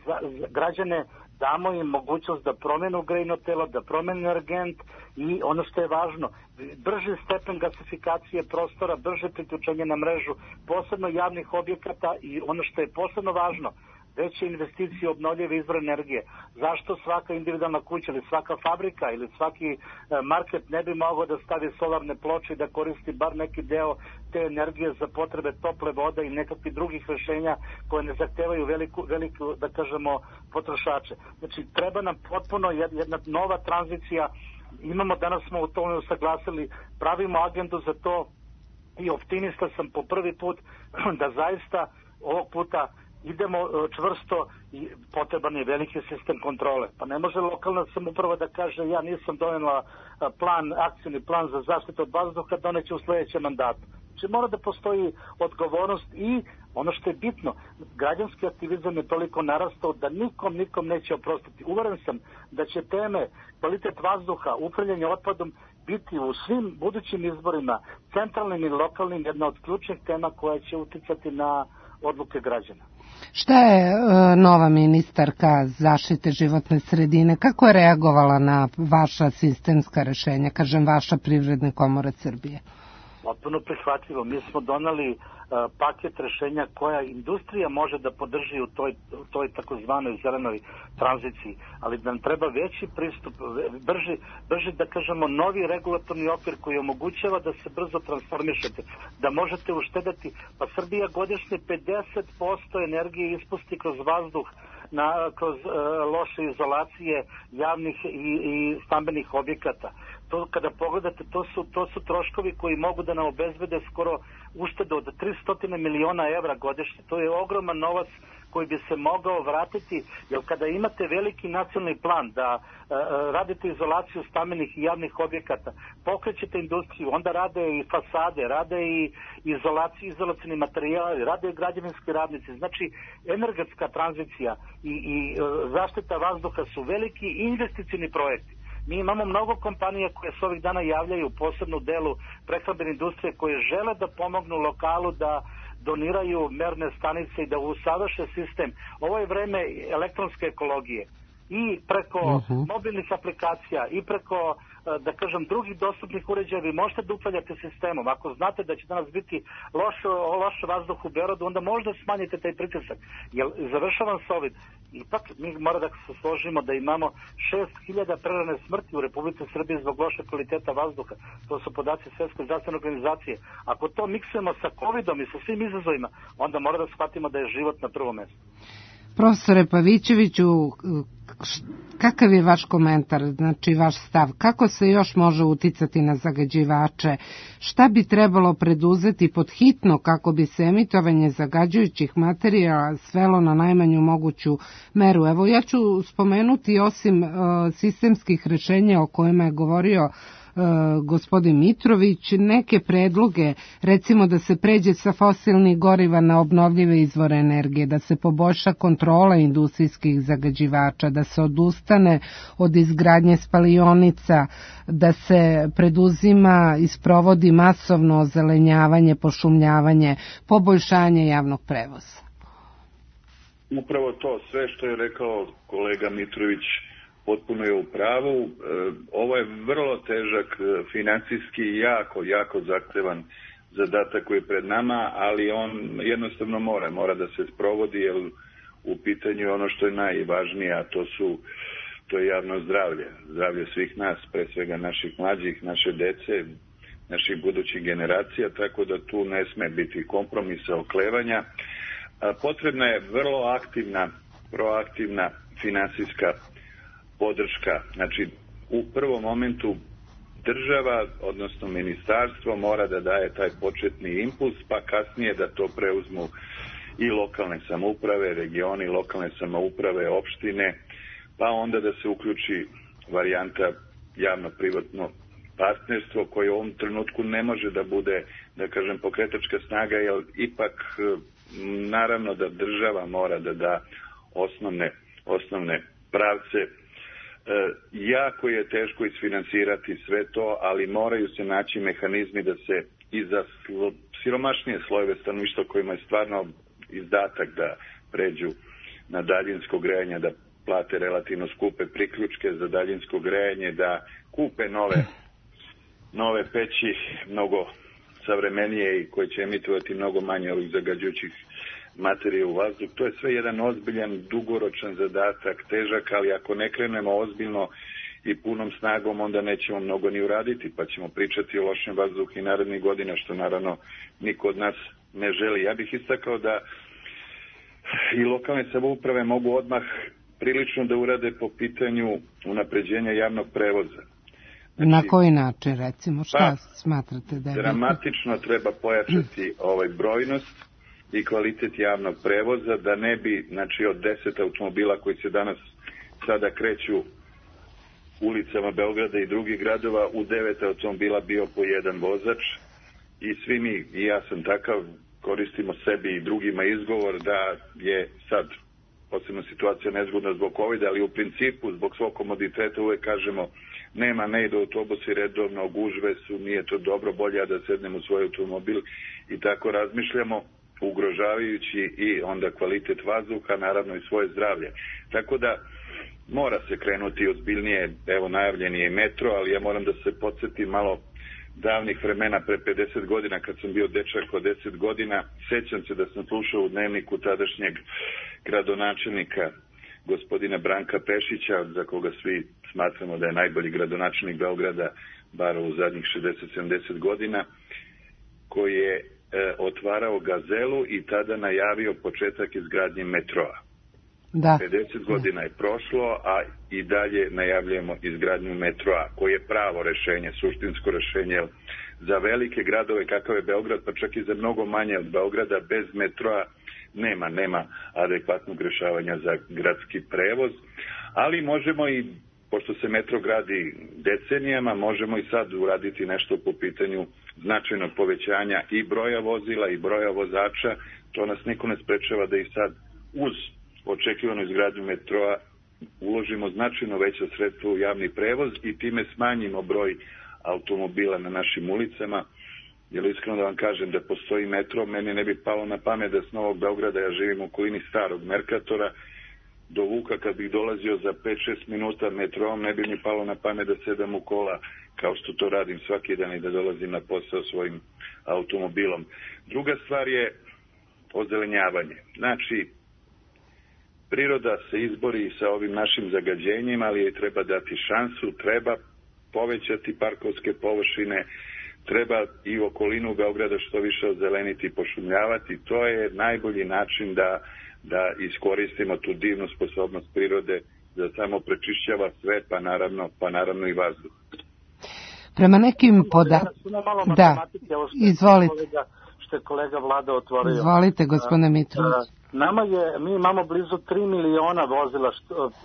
Speaker 19: za građane damo im mogućnost da promenu grejno telo, da promenu energent, i ono što je važno, brži stepen gasifikacije prostora, brže priključenje na mrežu, posebno javnih objekata, i ono što je posebno važno, veće investicije u obnovljive izvore energije. Zašto svaka individualna kuća ili svaka fabrika ili svaki market ne bi mogao da stavi solarne ploče i da koristi bar neki deo te energije za potrebe tople vode i nekakvih drugih rešenja koje ne zahtevaju veliku, da kažemo, potrošače. Znači, treba nam potpuno jedna nova tranzicija, danas smo u tome usaglasili, pravimo agendu za to i optimista sam po prvi put da zaista ovog puta idemo čvrsto i potreban je veliki sistem kontrole. Pa ne može lokalna samouprava da kaže ja nisam donela akcijni plan za zaštitu od vazduha, doneće u sledećem mandatu. Znači mora da postoji odgovornost i ono što je bitno, građanski aktivizam je toliko narastao da nikom neće oprostiti. Uveren sam da će teme kvalitet vazduha, upravljanje otpadom biti u svim budućim izborima, centralnim i lokalnim, jedna od ključnih tema koja će uticati na odluke građana.
Speaker 2: Šta je nova ministarka zaštite životne sredine, kako je reagovala na vaša sistemska rešenja, kažem vaša Privredna komora Srbije?
Speaker 19: Potpuno prihvatljivo. Mi smo doneli paket rešenja koja industrija može da podrži u toj takozvanoj zelenoj tranziciji, ali nam treba veći pristup, brži da kažemo novi regulatorni okvir koji omogućava da se brzo transformišete, da možete uštedati, pa Srbija godišnje 50% energije ispusti kroz vazduh, kroz loše izolacije javnih i stambenih objekata. To kada pogledate, to su troškovi koji mogu da nam obezbede skoro uštedu od 300 miliona evra godišnje. To je ogroman novac koji bi se mogao vratiti, jer kada imate veliki nacionalni plan da radite izolaciju stambenih i javnih objekata, pokrećete industriju, onda rade i fasade, rade i izolacioni materijali, rade i građevinski radnici. Znači, energetska tranzicija i zaštita vazduha su veliki investicioni projekti. Mi imamo mnogo kompanija koje se ovih dana javljaju, posebno u delu prehrambene industrije, koje žele da pomognu lokalu, da doniraju merne stanice i da usavrše sistem. Ovo je vreme elektronske ekologije. I preko mobilnih aplikacija i preko, da kažem, drugih dostupnih uređaja vi možete da upravljate sistemom. Ako znate da će danas biti loš vazduh u Beogradu, onda možda smanjite taj pritisak. Jer završavam s ovim. Ipak mi mora da se složimo da imamo 6.000 prerane smrti u Republici Srbiji zbog loše kvaliteta vazduha. To su podaci Svetske zdravstvene organizacije. Ako to miksujemo sa COVID-om i sa svim izazovima, onda mora da shvatimo da je život na prvom mestu.
Speaker 2: Profesore Pavićeviću, kakav je vaš komentar, znači vaš stav? Kako se još može uticati na zagađivače? Šta bi trebalo preduzeti pod hitno kako bi se emitovanje zagađujućih materijala svelo na najmanju moguću meru? Evo, ja ću spomenuti osim sistemskih rešenja o kojima je govorio gospodin Mitrović, neke predloge, recimo da se pređe sa fosilnih goriva na obnovljive izvore energije, da se poboljša kontrola industrijskih zagađivača, da se odustane od izgradnje spalionica, da se preduzima i sprovodi masovno ozelenjavanje, pošumljavanje, poboljšanje javnog prevoza.
Speaker 20: Upravo to, sve što je rekao kolega Mitrović, potpuno je u pravu. Ovo je vrlo težak, financijski jako zahtevan zadatak koji je pred nama, ali on jednostavno mora da se sprovodi, jer u pitanju je ono što je najvažnije, a to je javno zdravlje svih nas, pre svega naših mlađih, naše dece, naših budućih generacija, tako da tu ne sme biti kompromisa, oklevanja. Potrebna je vrlo aktivna, proaktivna finansijska podrška. Znači, u prvom momentu država, odnosno ministarstvo, mora da daje taj početni impuls, pa kasnije da to preuzmu i lokalne samouprave, regioni, lokalne samouprave, opštine, pa onda da se uključi varijanta javno-privatno partnerstvo, koje u ovom trenutku ne može da bude, da kažem, pokretačka snaga, jer ipak naravno da država mora da da osnovne pravce. Jako je teško isfinansirati sve to, ali moraju se naći mehanizmi da se i za siromašnije slojeve stanovništva kojima je stvarno izdatak da pređu na daljinsko grejanje, da plate relativno skupe priključke za daljinsko grejanje, da kupe nove peći, mnogo savremenije i koje će emitovati mnogo manje ovih zagađujućih materija u vazduh. To je sve jedan ozbiljan, dugoročan zadatak, težak, ali ako ne krenemo ozbiljno i punom snagom, onda nećemo mnogo ni uraditi, pa ćemo pričati o lošem vazduhu i narednih godina, što naravno niko od nas ne želi. Ja bih istakao da i lokalne samouprave mogu odmah prilično da urade po pitanju unapređenja javnog prevoza. Znači,
Speaker 2: na koji način, recimo, šta smatrate da je
Speaker 20: dramatično treba pojačati brojnost i kvalitet javnog prevoza, da ne bi, znači, od 10 automobila koji se sada kreću ulicama Beograda i drugih gradova, u 9 automobila bio po jedan vozač, i svi mi, i ja sam takav, koristimo sebi i drugima izgovor da je sad posebno situacija nezgodna zbog COVID-a, ali u principu zbog svog komoditeta uvek kažemo ne idu autobusi redovno, gužve su, nije to dobro, bolje da sednem u svoj automobil, i tako razmišljamo, ugrožavajući i onda kvalitet vazduha, naravno i svoje zdravlje. Tako da mora se krenuti ozbiljnije, evo najavljen je i metro, ali ja moram da se podsjetim malo davnih vremena, pre 50 godina, kad sam bio dečak od 10 godina, sećam se da sam slušao u dnevniku tadašnjeg gradonačelnika, gospodina Branka Pešića, za koga svi smatramo da je najbolji gradonačelnik Beograda, bar u zadnjih 60-70 godina, koji je otvarao Gazelu i tada najavio početak izgradnje metroa. 50 godina je prošlo, a i dalje najavljujemo izgradnju metroa, koji je pravo rešenje, suštinsko rešenje za velike gradove kakav je Beograd, pa čak i za mnogo manje od Beograda. Bez metroa nema adekvatnog rešavanja za gradski prevoz, ali možemo i, pošto se metro gradi decenijama, možemo i sad uraditi nešto po pitanju značajnog povećanja i broja vozila i broja vozača. To nas niko ne sprečava da i sad uz očekivanu izgradnju metroa uložimo značajno veća sredstva u javni prevoz i time smanjimo broj automobila na našim ulicama. Jer iskreno da vam kažem, da postoji metro, meni ne bi palo na pamet da s Novog Beograda, ja živim u okolini starog Merkatora, do Vuka kad bih dolazio za 5-6 minuta metroom, ne bi mi palo na pamet da sedam u kola kao što to radim svaki dan i da dolazim na posao svojim automobilom. Druga stvar je ozelenjavanje. Znači, priroda se izbori sa ovim našim zagađenjima, ali joj treba dati šansu, treba povećati parkovske površine, treba i okolinu Beograda što više ozeleniti i pošumljavati. To je najbolji način da iskoristimo tu divnu sposobnost prirode da samo prečišćava sve, pa naravno i vazduh.
Speaker 2: Prema nekim izvolite.
Speaker 19: Što je kolega Vlada otvorio.
Speaker 2: Izvolite, gospodine Mitrović.
Speaker 19: Mi imamo blizu 3 miliona vozila,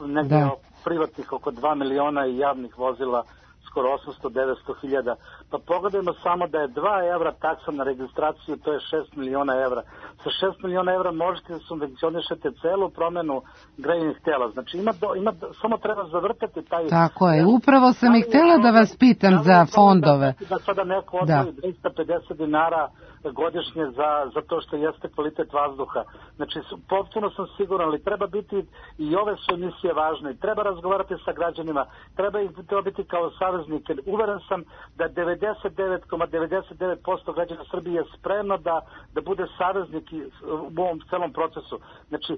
Speaker 19: negdje privatnih oko 2 miliona i javnih vozila skoro 800-900 hiljada. Pa pogledajmo samo da je 2 evra taksa na registraciju, to je 6 miliona evra. Sa 6 miliona evra možete da subvencionišete celu promenu grejnih tela. Znači samo treba zavrtati taj...
Speaker 2: Tako je, upravo sam i htjela da vas pitam za fondove.
Speaker 19: Da sada neko odvoji 250 dinara godišnje za to što jeste kvalitet vazduha. Znači, potpuno sam siguran, ali treba biti, i ove su emisije važne, treba razgovarati sa građanima, treba biti kao saveznike. Uveren sam da 99,99% građana Srbije je spremno da bude saveznik u ovom celom procesu. Znači,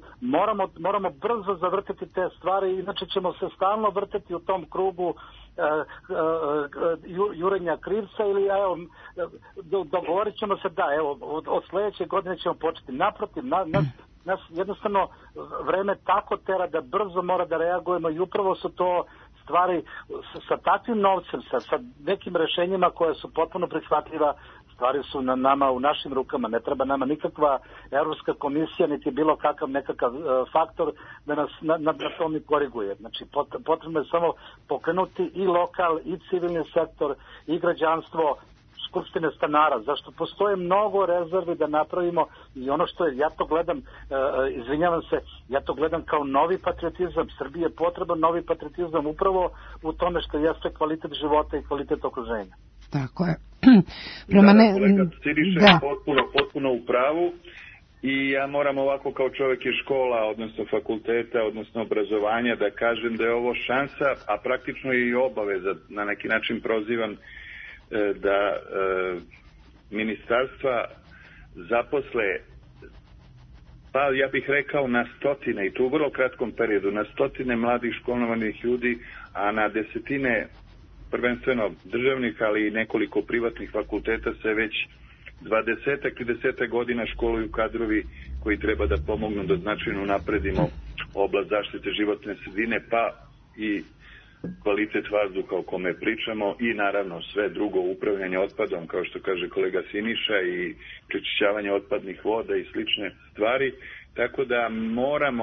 Speaker 19: moramo brzo zavrtiti te stvari, inače ćemo se stalno vrteti u tom krugu jurenja krivca ili dogovorit ćemo se od sljedeće godine ćemo početi. Naprotiv, nas jednostavno vreme tako tera da brzo mora da reagujemo i upravo su to stvari sa takvim novcem, sa nekim rešenjima koje su potpuno prihvatljiva, stvari su na nama, u našim rukama. Ne treba nama nikakva Evropska komisija, niti bilo kakav nekakav faktor da nas na tom koriguje. Znači, potrebno je samo pokrenuti i lokal, i civilni sektor, i građanstvo, skupštine stanara, zašto postoje mnogo rezervi da napravimo i ono što ja to gledam, izvinjavam se, ja to gledam kao novi patriotizam. Srbiji je potreban novi patriotizam upravo u tome što jeste kvalitet života i kvalitet okruženja.
Speaker 2: Tako je.
Speaker 20: Kolega Siriša je potpuno u pravu i ja moram ovako kao čovjek iz škola, odnosno fakulteta, odnosno obrazovanja da kažem da je ovo šansa, a praktično je i obaveza, na neki način prozivam da ministarstva zaposle, pa ja bih rekao na stotine, i to u vrlo kratkom periodu, na stotine mladih školovanih ljudi, a na desetine prvenstveno državnih, ali i nekoliko privatnih fakulteta se već 20-30 godina školuju kadrovi koji treba da pomognu da značajno napredimo oblast zaštite životne sredine, pa i kvalitet vazduha o kome pričamo i naravno sve drugo, upravljanje otpadom, kao što kaže kolega Siniša, i prečišćavanje otpadnih voda i slične stvari. Tako da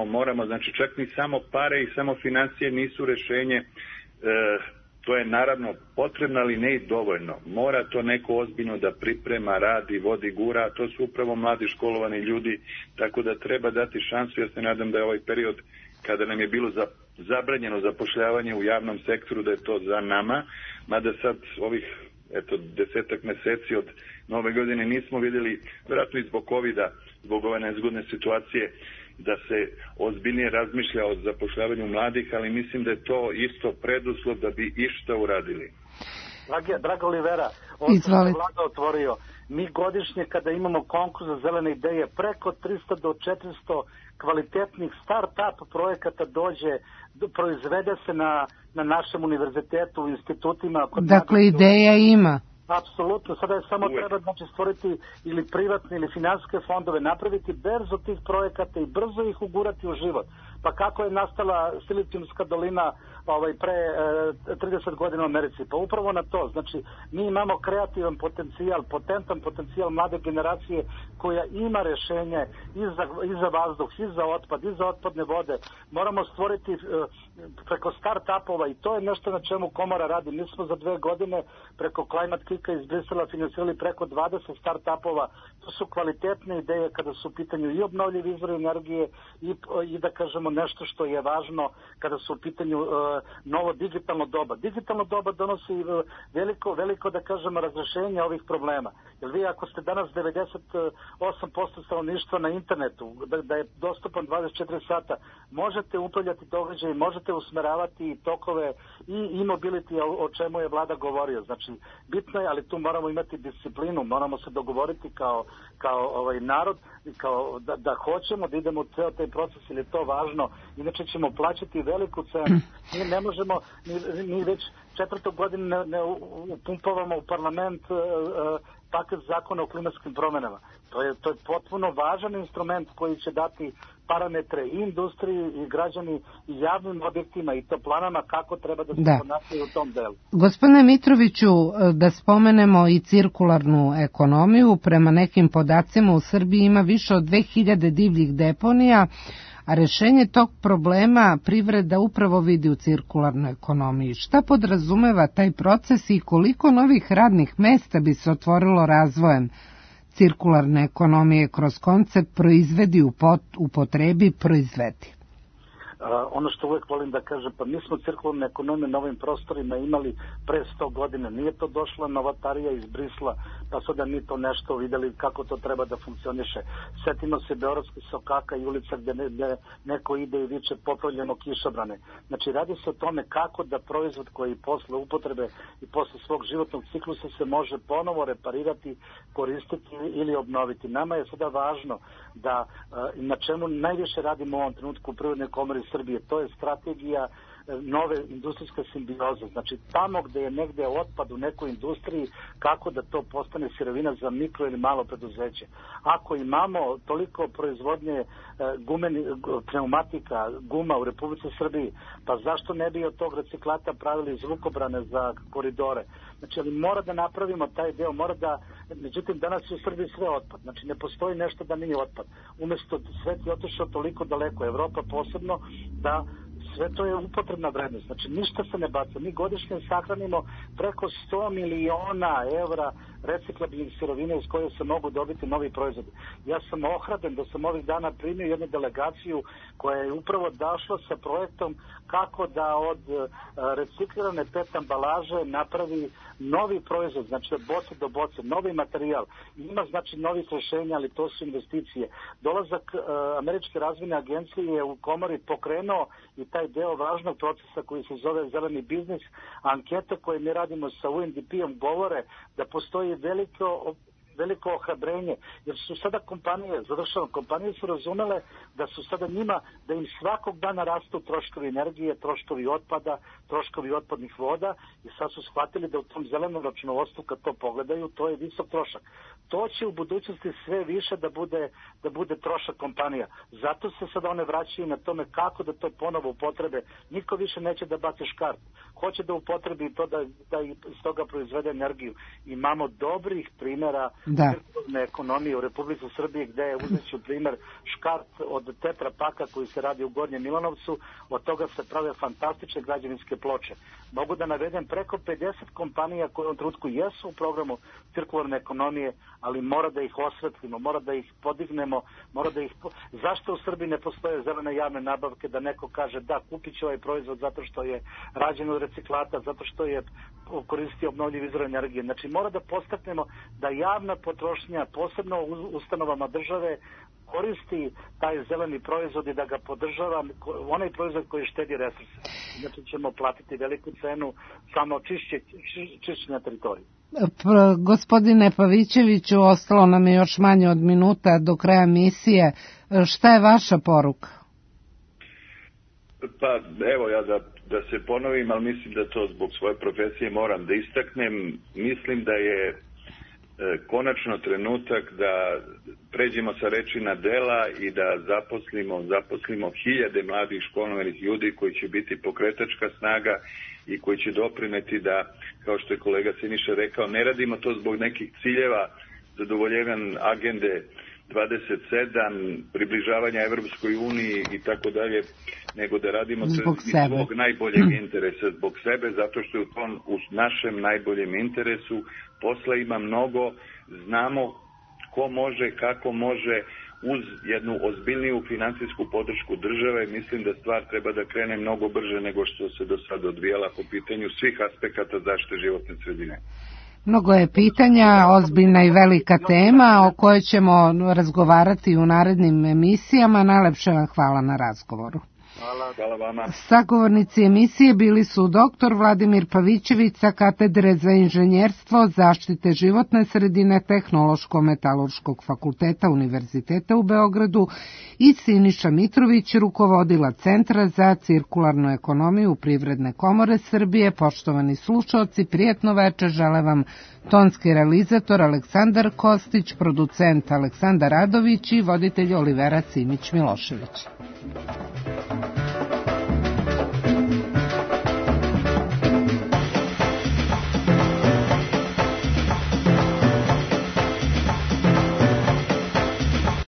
Speaker 20: moramo, znači čak ni samo pare i samo financije nisu rešenje, to je naravno potrebno, ali ne i dovoljno. Mora to neko ozbiljno da priprema, radi, vodi, gura, to su upravo mladi školovani ljudi, tako da treba dati šansu. Ja se nadam da je ovaj period kada nam je bilo zabranjeno zapošljavanje u javnom sektoru, da je to za nama, mada sad ovih 10 meseci od nove godine nismo vidjeli, vjerojatno i zbog COVID-a, zbog ove nezgodne situacije, da se ozbiljnije razmišlja o zapošljavanju mladih, ali mislim da je to isto preduslov da bi išta uradili.
Speaker 19: Draga Olivera, ovo sam Vlada otvorio. Mi godišnje kada imamo konkurs za zelene ideje, preko 300 do 400 kvalitetnih start-up projekata dođe, proizvede se na našem univerzitetu, u institutima.
Speaker 2: Dakle, ideja ima.
Speaker 19: Apsolutno, sada je samo treba stvoriti ili privatne ili finansijske fondove, napraviti berzu tih projekata i brzo ih ugurati u život. Pa kako je nastala Silicijumska dolina pre 30 godina u Americi? Pa upravo na to. Znači, mi imamo kreativan potencijal, potentan potencijal mlade generacije koja ima rešenje i za vazduh, i za otpad, i za otpadne vode. Moramo stvoriti preko start-upova i to je nešto na čemu Komora radi. Mi smo za 2 godine preko Climate Kicka iz Brisela finansirali preko 20 start-upova. To su kvalitetne ideje kada su u pitanju i obnovljivi izvori energije i da kažemo nešto što je važno kada su u pitanju novo digitalno doba. Digitalno doba donosi veliko da kažemo razrešenje ovih problema. Jer vi ako ste danas 98% stanovništva na internetu, da je dostupan 24 sata, možete upravljati događaje, možete usmeravati tokove i mobility, o čemu je Vlada govorio. Znači, bitno je, ali tu moramo imati disciplinu, moramo se dogovoriti kao narod, da hoćemo da idemo u ceo taj proces, ili je to važno, inače ćemo plaćati veliku cenu. Mi ne možemo, mi već 4. godinu ne upumpavamo u parlament paket zakona o klimatskim promenama. To je potpuno važan instrument koji će dati parametre i industriji i građani i javnim objektima i to planama kako treba da se ponašaju u tom delu.
Speaker 2: Gospodine Mitroviću, da spomenemo i cirkularnu ekonomiju. Prema nekim podacima u Srbiji ima više od 2000 divljih deponija, a rešenje tog problema privreda upravo vidi u cirkularnoj ekonomiji. Šta podrazumeva taj proces i koliko novih radnih mesta bi se otvorilo razvojem cirkularne ekonomije kroz koncept proizvedi, upotrebi, proizvedi?
Speaker 19: Ono što uvek volim da kažem, pa mi smo cirkularne ekonomije na ovim prostorima imali pre 100 godina. Nije to došla novatarija iz Brisla, pa sada mi to nešto videli kako to treba da funkcioniše. Setimo se Beogradskih sokaka i ulica gde neko ide i viče popravljeno kišobrane. Znači, radi se o tome kako da proizvod koji posle upotrebe i posle svog životnog ciklusa se može ponovo reparirati, koristiti ili obnoviti. Nama je sada važno da, na čemu najviše radimo u ovom trenutku u Privrednoj komori Srbije, to je strategija nove industrijske simbioze. Znači, tamo gde je negde otpad u nekoj industriji, kako da to postane sirovina za mikro ili malo preduzeće. Ako imamo toliko proizvodnje pneumatika, guma u Republici Srbiji, pa zašto ne bi od tog reciklata pravili zvukobrane za koridore? Znači, ali mora da napravimo taj deo, međutim, danas je u Srbiji sve otpad. Znači, ne postoji nešto da nije otpad. Umesto svet je otišao toliko daleko, Evropa posebno, da sve to je upotrebna vrednost. Znači, ništa se ne baca. Mi godišnje sahranimo preko 100 miliona evra reciklabilnih sirovina iz koje se mogu dobiti novi proizvodi. Ja sam ohrabren da sam ovih dana primio jednu delegaciju koja je upravo došla sa projektom kako da od reciklirane PET ambalaže napravi novi proizvod, znači od boce do boce, novi materijal. Ima znači novih rešenja, ali to su investicije. Dolazak Američke razvojne agencije je u Komori pokrenuo i taj deo važnog procesa koji se zove zeleni biznis. Ankete koje mi radimo sa UNDP-om govore da postoji veliko ohrabrenje, jer su sada kompanije su razumele da su sada njima, da im svakog dana rastu troškovi energije, troškovi otpada, troškovi otpadnih voda i sad su shvatili da u tom zelenom računovodstvu kad to pogledaju, to je visok trošak. To će u budućnosti sve više da bude trošak kompanija. Zato se sada one vraćaju na tome kako da to ponovo upotrebe. Niko više neće da baci škart. Hoće da upotrebi to da iz toga proizvede energiju. Imamo dobrih primjera cirkularne ekonomije u Republici Srbiji gde je uzeću primjer škart od Tetra Paka koji se radi u Gornjem Milanovcu, od toga se prave fantastične građevinske ploče. Mogu da navedem preko 50 kompanija koje u ovom trenutku jesu u programu cirkularne ekonomije, ali mora da ih osvetlimo, mora da ih podignemo, Zašto u Srbiji ne postoje zelene javne nabavke da neko kaže da, kupit ću ovaj proizvod zato što je rađen od reciklata, zato što je koristio obnovljiv izvor energije. Znači mora da postaknemo da javna potrošnja, posebno u ustanovama države, koristi taj zeleni proizvod i da ga podržava, onaj proizvod koji štedi resurse. Znači ćemo platiti veliku cenu samo čišćenja teritorije.
Speaker 2: Gospodine Pavićeviću, ostalo nam je još manje od minuta do kraja emisije. Šta je vaša poruka?
Speaker 20: Pa evo ja da se ponovim, ali mislim da to zbog svoje profesije moram da istaknem. Mislim da je konačno trenutak da pređemo sa reči na dela i da zaposlimo hiljade mladih školovanih ljudi koji će biti pokretačka snaga i koji će doprineti da, kao što je kolega Siniša rekao, ne radimo to zbog nekih ciljeva, zadovoljevan agende 27, približavanja Evropskoj uniji i tako dalje, nego da radimo
Speaker 2: zbog
Speaker 20: svog najboljeg interesa, zbog sebe, zato što je u našem najboljem interesu. Posla ima mnogo, znamo ko može, kako može, uz jednu ozbiljniju finansijsku podršku države. Mislim da stvar treba da krene mnogo brže nego što se do sada odvijala po pitanju svih aspekata zaštite životne sredine.
Speaker 2: Mnogo je pitanja, ozbiljna i velika tema o kojoj ćemo razgovarati u narednim emisijama. Najlepše vam hvala na razgovoru.
Speaker 20: Hvala vama.
Speaker 2: Sagovornici emisije bili su dr. Vladimir Pavićević sa Katedre za inženjerstvo, zaštite životne sredine Tehnološko-metalurškog fakulteta Univerziteta u Beogradu i Siniša Mitrović, rukovodila Centra za cirkularnu ekonomiju Privredne komore Srbije. Poštovani slušaoci, prijatno veče žele vam tonski realizator Aleksandar Kostić, producent Aleksandar Radović i voditelj Olivera Cimić Milošević.